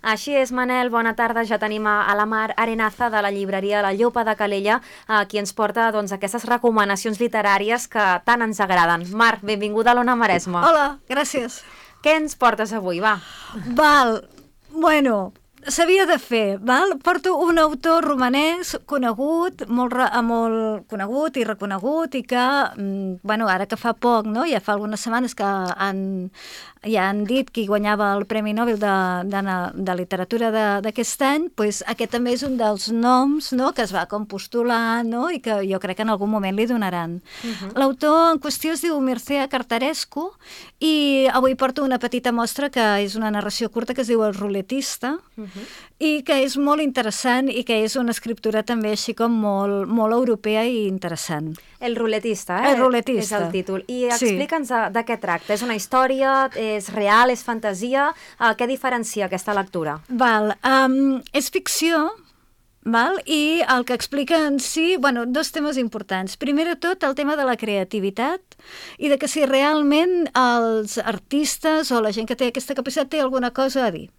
Així és, Manel, bona tarda. Ja tenim a la Mar Arenaza de la llibreria La Llopa de Calella, qui ens porta aquestes recomanacions literàries que tant ens agraden. Mar, benvinguda a l'Ona Maresma. Hola, gràcies. Què ens portes avui, va? Val, bueno, s'havia de fer, val? Porto un autor romanès conegut, molt conegut i reconegut i que, bueno, ara que fa poc, no? Ja fa algunes setmanes que ja han dit qui guanyava el Premi Nobel de literatura d'aquest any, doncs aquest també és un dels noms, no?, que es va com postular, no?, i que jo crec que en algun moment li donaran. L'autor en qüestió es diu Mircea Cartarescu i avui porto una petita mostra que és una narració curta que es diu El ruletista i que és molt interessant i que és una escriptura també així com molt europea i interessant. El ruletista, eh? El ruletista. És el títol. I explica'ns de què tracta. És una història, és real, és fantasia? Què diferencia aquesta lectura? Val, és ficció, val? I el que explica en si, bueno, dos temes importants. Primer de tot, el tema de la creativitat i de que si realment els artistes o la gent que té aquesta capacitat té alguna cosa a dir.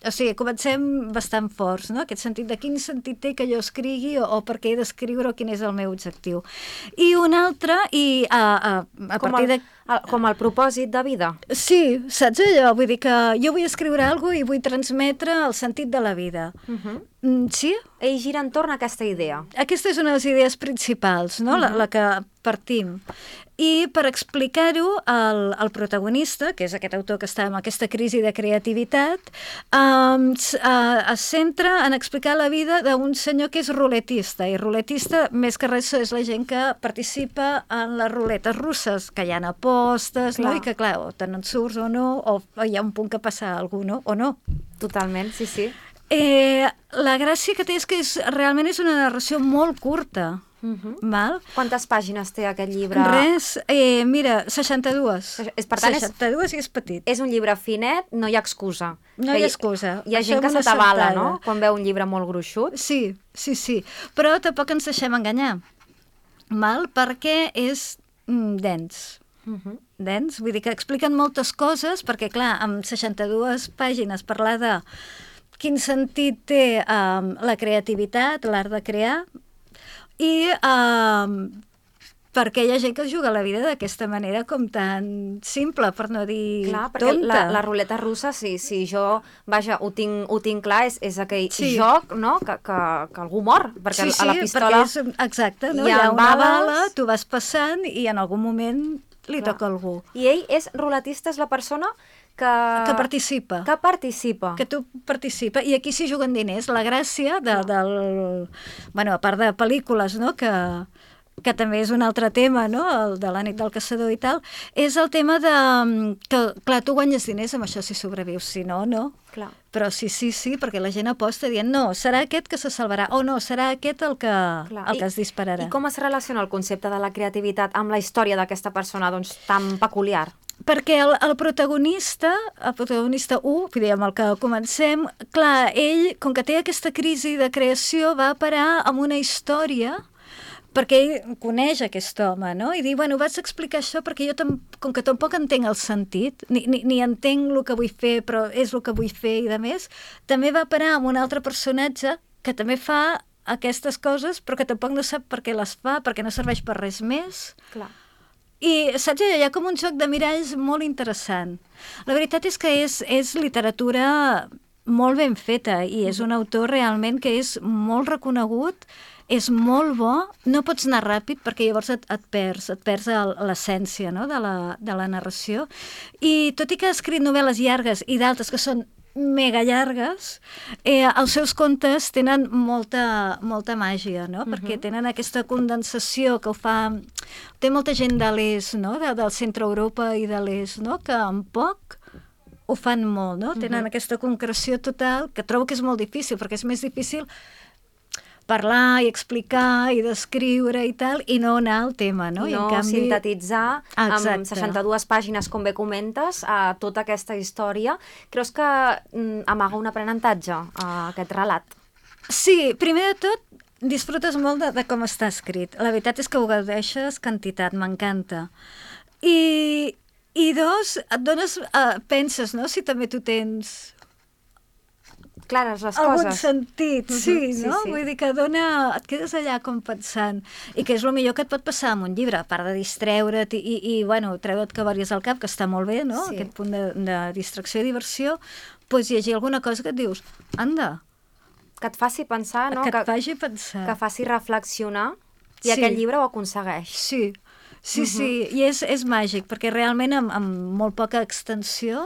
O sigui, comencem bastant forts, no? Aquest sentit de quin sentit té que jo escrigui o per què he d'escriure o quin és el meu objectiu. I un altre, i a partir de... Com el propòsit de vida. Sí, saps allò? Vull dir que jo vull escriure alguna cosa i vull transmetre el sentit de la vida. Sí? Ell gira entorn a aquesta idea. Aquesta és una de les idees principals, no? La que partim. I per explicar-ho, el protagonista, que és aquest autor que està en aquesta crisi de creativitat, es centra en explicar la vida d'un senyor que és ruletista. I ruletista, més que res, és la gent que participa en les ruletes russes, que hi ha apostes, no? I que, clar, o te n'en surts o no, o hi ha un punt que passa alguna cosa, o no. Totalment, sí, sí. La gràcia que té és que realment és una narració molt curta. Val? Quantes pàgines té aquest llibre? Res, mira, 62. Per tant, 62 i és petit. És un llibre finet, no hi ha excusa. No hi ha excusa. Hi ha gent que se t'avala, no?, quan veu un llibre molt gruixut. Sí, sí, sí. Però tampoc ens deixem enganyar. Val? Perquè és dens. Dens, vull dir que expliquen moltes coses, perquè clar, amb 62 pàgines parlar de quin sentit té la creativitat, l'art de crear, i perquè hi ha gent que es juga la vida d'aquesta manera com tan simple, per no dir clar, perquè tonta. La ruleta russa, si jo, vaja, ho tinc clar, és aquell joc, no?, que algú mor, perquè a la pistola exacte, no? Hi ha una bala, tu vas passant i en algun moment li toca a algú. I ell és ruletista, és la persona que participa. Que participa. Que tu participa. I aquí s'hi juguen diners. La gràcia bueno, a part de pel·lícules, no?, que també és un altre tema, no?, el de la nit del caçador i tal, és el tema de que, clar, tu guanyes diners amb això si sobrevius, si no, no. Clar. Però sí, perquè la gent aposta dient no, serà aquest que se salvarà, o no, serà aquest el que es dispararà. I com es relaciona el concepte de la creativitat amb la història d'aquesta persona, doncs, tan peculiar? Perquè el protagonista 1, vull dir, amb el que comencem, clar, ell, com que té aquesta crisi de creació, va parar amb una història perquè ell coneix aquest home, no? I diu, bueno, vaig explicar això perquè jo, com que tampoc entenc el sentit, ni entenc el que vull fer, però és el que vull fer i de més, també va parar amb un altre personatge que també fa aquestes coses, però que tampoc no sap per què les fa, perquè no serveix per res més. Clar. I, saps, hi ha com un joc de miralls molt interessant. La veritat és que és literatura molt ben feta i és un autor realment que és molt reconegut, és molt bo, no pots anar ràpid perquè llavors et perds l'essència, no?, de la narració. I tot i que ha escrit novel·les llargues i d'altres que són mega llargues, els seus contes tenen molta màgia, no? Perquè tenen aquesta condensació que ho fa... Té molta gent de l'est, no?, del centre Europa i de l'est, no?, que en poc ho fan molt, no? Tenen aquesta concreció total, que trobo que és molt difícil, perquè és més difícil parlar i explicar i descriure i tal, i no anar al tema, no? I en canvi, sintetitzar amb 62 pàgines, com bé comentes, tota aquesta història. Creus que amaga un aprenentatge aquest relat? Sí, primer de tot, disfrutes molt de com està escrit. La veritat és que ho gaudeixes quantitat, m'encanta. I dos, et dones, penses, no?, si també tu tens clares les algun coses. sentit, sí, Sí, no? sí. Vull dir que et quedes allà com pensant, i que és el millor que et pot passar amb un llibre, a part de distreure't i bueno, treure't cavaries al cap, que està molt bé, no? Sí. Aquest punt de distracció i diversió, doncs llegir alguna cosa que et dius, anda, Que et faci pensar, no? que et faci pensar. Que faci reflexionar, i Sí. aquest llibre ho aconsegueix. Sí, sí, i és màgic, perquè realment amb molt poca extensió,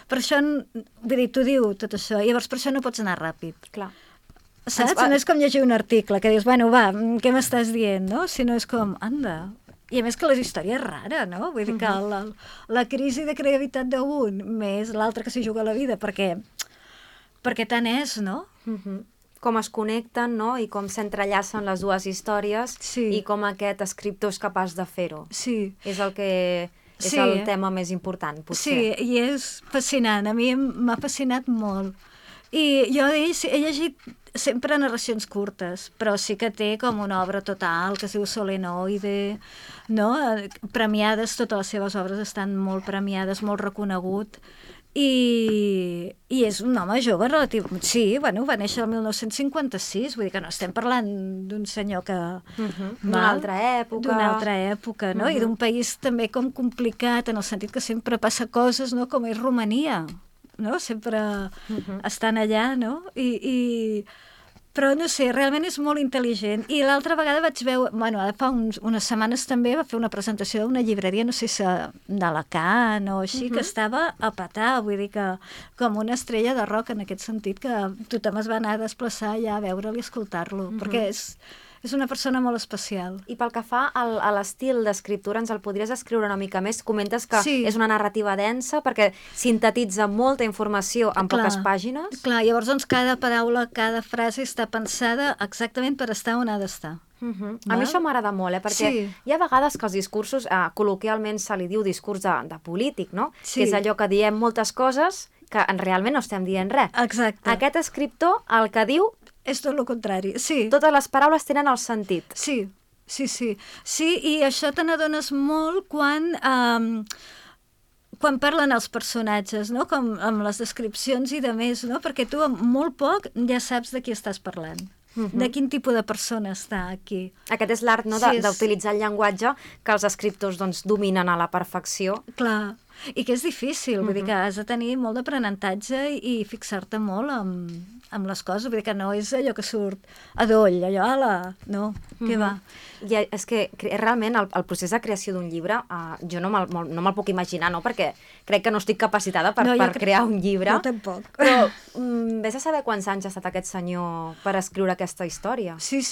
per això, vull dir, t'ho diu tot això, i llavors per això no pots anar ràpid. Clar. Saps? No és com llegir un article, que dius, bueno, va, què m'estàs dient, no? Sinó és com, anda. I a més que la història és rara, no? Vull dir que la crisi de creativitat d'un més l'altre que s'hi juga la vida, perquè tant és, no? Com es connecten, no? I com s'entrellacen les dues històries, Sí. i com aquest escriptor és capaç de fer-ho. Sí. És el que... És Sí. el tema més important, potser. Sí, i és fascinant. A mi m'ha fascinat molt. I jo d'ells he llegit sempre narracions curtes, però sí que té com una obra total que es diu Solenoide, no? Premiades, totes les seves obres estan molt premiades, molt reconegut. I és un home jove relatiu. Sí, bueno, va néixer el 1956, vull dir que no estem parlant d'un senyor que... D'una altra època. D'una altra època, no? I d'un país també com complicat, en el sentit que sempre passa coses, no? Com és Romania, no? Sempre estan allà, no? Però no sé, realment és molt intel·ligent. I l'altra vegada vaig veure, bueno, ara fa unes setmanes també va fer una presentació d'una llibreria, no sé si d'Alacant o així, que estava a petar, vull dir que com una estrella de rock en aquest sentit, que tothom es va anar a desplaçar allà a veure'l i escoltar-lo, perquè és una persona molt especial. I pel que fa a l'estil d'escriptura, ens el podries escriure una mica més? Comentes que és una narrativa densa perquè sintetitza molta informació en poques pàgines. Clar, llavors doncs cada paraula, cada frase està pensada exactament per estar on ha d'estar. A mi això m'agrada molt, perquè hi ha vegades que els discursos, col·loquialment se li diu discurs de polític, no? Que és allò que diem moltes coses que realment no estem dient res. Exacte. Aquest escriptor el que diu és tot el contrari, sí. Totes les paraules tenen el sentit. Sí, i això te n'adones molt quan parlen els personatges, no? Com amb les descripcions i de més, no? Perquè tu amb molt poc ja saps de qui estàs parlant. De quin tipus de persona està aquí. Aquest és l'art, no? D'utilitzar el llenguatge que els escriptors doncs, dominen a la perfecció. Clar, i que és difícil, vull dir que has de tenir molt d'aprenentatge i fixar-te molt amb les coses, vull dir que no és allò que surt a doll, allò, no, què va. I és que realment el procés de creació d'un llibre jo no me'l puc imaginar, no? Perquè crec que no estic capacitada per crear un llibre. No, tampoc. Però vés a saber quants anys ha estat aquest senyor per escriure aquesta història. Sí,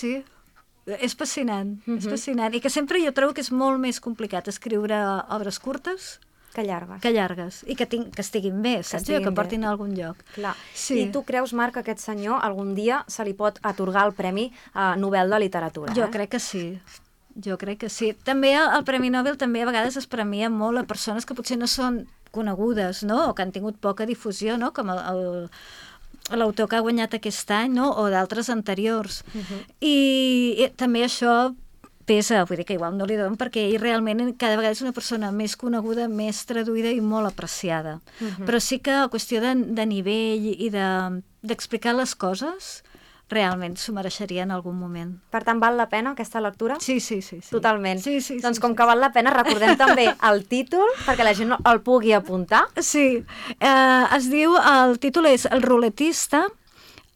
és fascinant, és fascinant. I que sempre jo trobo que és molt més complicat escriure obres curtes que llargues. I que estiguin bé, saps? Que portin a algun lloc. Clar. I tu creus, Marc, que aquest senyor algun dia se li pot atorgar el Premi Nobel de Literatura? Jo crec que sí. També el Premi Nobel també a vegades es premia molt a persones que potser no són conegudes, no? O que han tingut poca difusió, no? Com l'autor que ha guanyat aquest any, no? O d'altres anteriors. I també això pesa, vull dir que igual no li donen, perquè ell realment cada vegada és una persona més coneguda, més traduïda i molt apreciada. Però sí que a qüestió de nivell i d'explicar les coses, realment s'ho mereixeria en algun moment. Per tant, val la pena aquesta lectura? Sí. Totalment. Doncs com que val la pena, recordem també el títol, perquè la gent el pugui apuntar. Sí, el títol és El ruletista.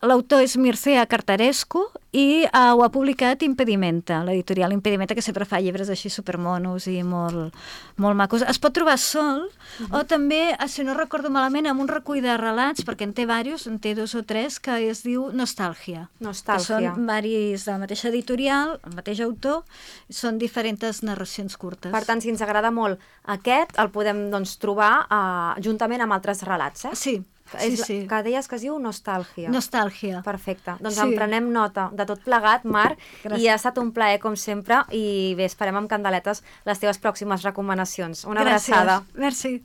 L'autor és Mircea Cartarescu i ho ha publicat Impedimenta, l'editorial Impedimenta, que sempre fa llibres així supermonos i molt macos. Es pot trobar sol o també, si no recordo malament, amb un recull de relats, perquè en té diversos, en té 2 o 3, que es diu Nostàlgia. Que són diversos de la mateixa editorial, el mateix autor, són diferents narracions curtes. Per tant, si ens agrada molt aquest, el podem trobar juntament amb altres relats, eh? Sí. Que deies que es diu Nostàlgia. Nostàlgia. Perfecte. Doncs en prenem nota de tot plegat, Marc, i ha estat un plaer, com sempre, i bé, esperem amb candeletes les teves pròximes recomanacions. Una abraçada. Merci.